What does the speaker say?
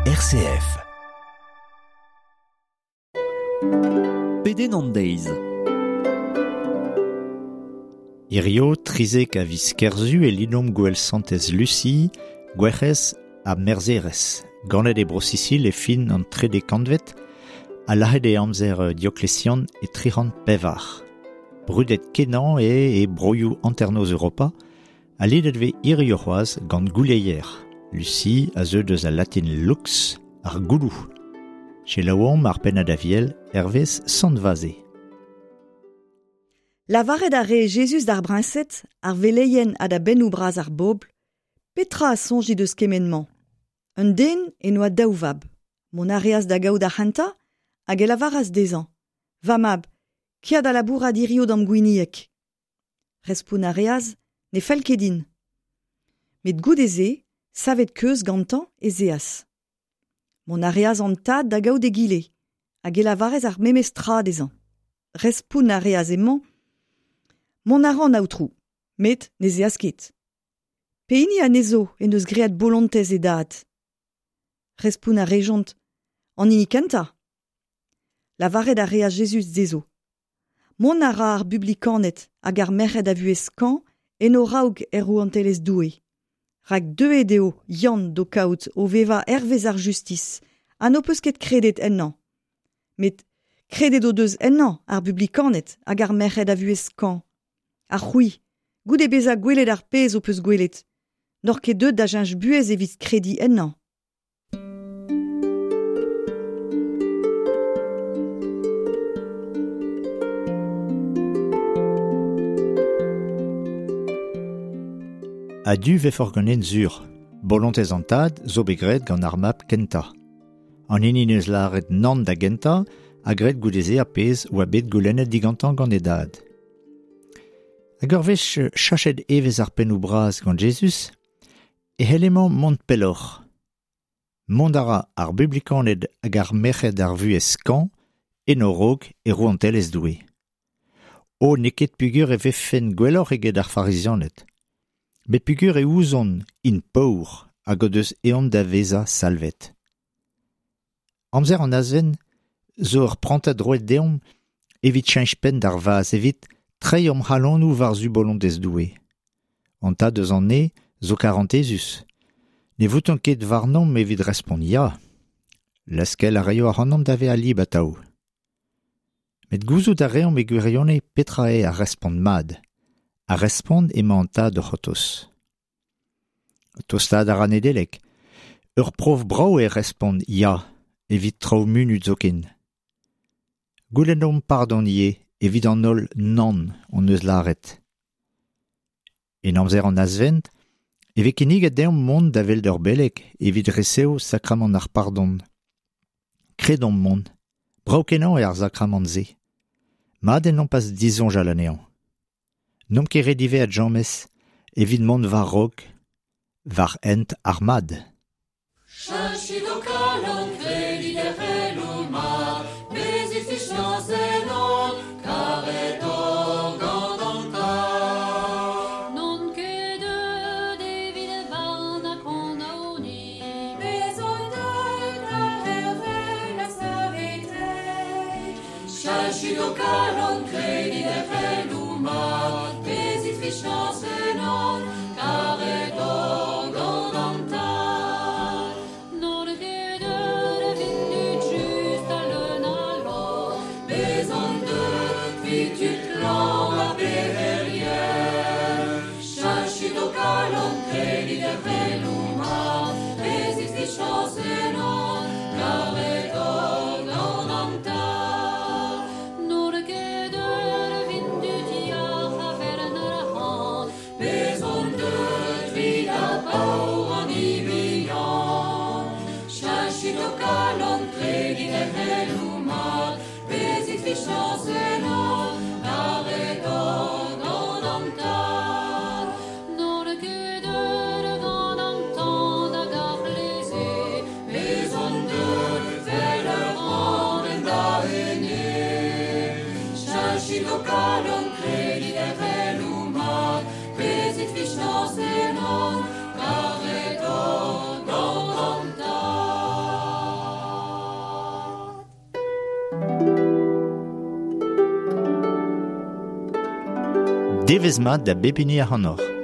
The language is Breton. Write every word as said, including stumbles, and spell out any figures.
R C F. Pedenn an deiz. Hirio trizek a viz Kerzu e lidomp gwell santez Lucie, gwerc'hez ha merzherez. Ganet e Bro-Sicile e fin an trede kantved, ha lazhet e amzer Diocletian e tri c'hant pevar. Brudet kenañ eo e broioù hanternoz Europa, ha lidet vez hirio c'hoazh gant gouleier. Lucie a zeu deus al latin lux, ar gouloù. Selaouomp ar pennad aviel hervez Sant Vaze. Lavaret a re Jezuz d'ar briñsed, ar veleien ha da bennoù bras ar bobl, petra a soñjit eus kement-mañ? Un den en oa daou vab. Mont a reas da gaout ar c'hentañ hag e lavaras dezhañ. Va mab, kia da labourat hirio d'am gwinieg. Respont a reas, ne fell ket din. Met goude-se, savet keuz gantañ ez eas. Mont a reas an tad da gaout egile, hag e lavaras ar memes tra dezhañ. Respont a reas emañ, mont a ran aotrou, met ne zeas ket. Pehini anezho en deus graet bolontez e dad? Respont a rejont, an hini kentañ. Lavaret a reas Jezuz dezho. Mont a ra ar bublikaned hag ar merc'hed a vuhez skañv en o raok er rouantelezh Doue. Rak deuet eo Yann d'ho kaout o vevañ hervez ar justis, ha n'ho peus ket kredet ennañ. Met kredet o deus ennañ ar bublikaned hag ar merc'hed a vuhez skañv. Ha c'hwi, goude bezañ gwelet ar pezh ho peus gwelet, n'oc'h ket deuet da cheñch buhez evit krediñ ennañ. A-du vefoc'h ganen sur. Bolontez an tad zo bet graet gant ar mab kentañ. An hini neus lâret nann da gentañ ha graet goude-se ar pezh oa bet goulennet digantañ gant e dad. Hag ur wech chachet evezh ar pennoù bras gant Jezuz, e c'hell emañ mont pelloc'h. Mont a ra ar bublikaned hag ar merc'hed ar vuhez skañv en o raok e rouantelezh Doue. O n'eo ket peogwir e vefen gwelloc'h eget ar farizianed. Met peogwir e ouzon int paour hag o deus ezhomm da vezañ salvet. Amzer an azven zo ur prantad roet deomp evit cheñch penn d'ar vazh, evit treiñ hom c'halonoù war-zu bolontez Doue. An tad eus an ne zo karantezus. Ne vouton ket warnomp evit respont ya. Laskel a raio ac'hanomp da vezañ lib atav. Met gouzout a reomp e gwirionez petra eo ar respont mat. A respont emañ an tad o c'hortoz. Tostaat a ra Nedeleg. Ur prof brav e respont ya, evit traoù munut zoken. Goulennomp pardon ivez evit an holl nann hon eus lâret. En amzer an azvent, e vez kinniget deomp mont da welet ur beleg evit resev sakramant ar pardon. Kredomp mont. Brav-kenañ eo ar sakramant-se. Mat eo nompas disoñjal anezhañ. N'omp ket re diwezhat james evit mont war-raok, war hent ar mad. Cheñchit ho kalon, kredit er c'heloù mat, bezit fiziañs ennon, karet oc'h gant an Tad. N'on ket deuet evit barn ha kondaoniñ. Bez on deuet da c'hervel ha saveteiñ. Cheñchit ho kalon, kredit er c'heloù mat, bezit fiziañs ennon, karet oc'h gant an Tad. N'on ket deuet evit tud just ha leun a lorc'h. Bez on deuet evit tud klañv ha pec'herien. Cheñchit ho kalon, kredit er c'heloù mat, bezit fiziañs ennon, karet oc'h gant an Tad. N'on ket Devezh mat da bep hini ac'hanoc'h.